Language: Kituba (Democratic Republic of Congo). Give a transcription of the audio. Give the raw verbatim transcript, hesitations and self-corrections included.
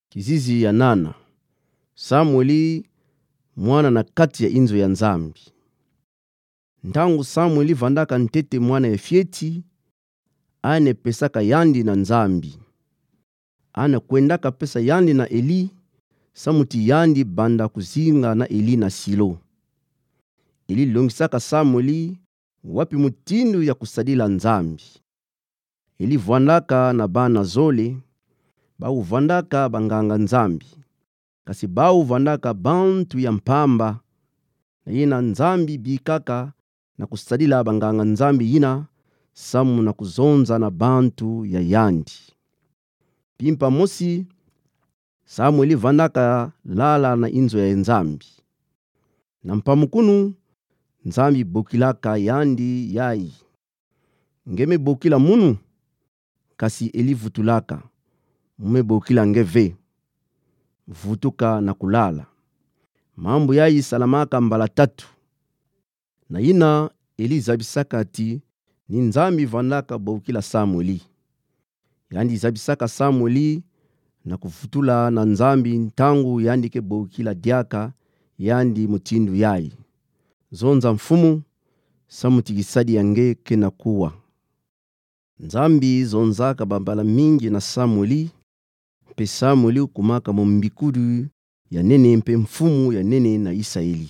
Kizizi ya nana. Samueli mwana na kati ya inzo ya Nzambi. Ntangu Samueli vandaka ntete mwana ya fieti, ane pesaka yandi na Nzambi. Ane kwendaka pesa yandi na Eli, samuti yandi banda kuzinga na Eli na Silo. Eli longisaka Samueli wapi mutindu ya kusadila Nzambi. Eli vandaka na bana zole, bau vandaka banganga-Nzambi. Kasi bau vandaka bantu ya mpamba, na yina Nzambi bikaka na kusadila banganga-Nzambi yina, samu na kuzonza na bantu ya yandi. Mpimpa mosi, Samueli vandaka lala na inzo ya Nzambi. Na mpamukunu, Nzambi bokilaka yandi yayi: Nge me bokila munu? Kasi Eli vutulaka: Mu me bokila nge ve. Vutuka na kulala. Mambu yayi salamaka mbala tatu. Na yina Eli zabisaka ti ni Nzambi vandaka bokila Samueli. Yandi zabisaka Samueli na kuvutula na Nzambi ntangu yandi ke bokila diaka yandi mutindu yayi: Zonza Mfumu, samuti kisadi ya nge ke na kuwa. Nzambi zonzaka bambala mingi na Samueli, mpe Samueli kumaka mombikudi ya nene mpe mfumu ya nene na Isaeli.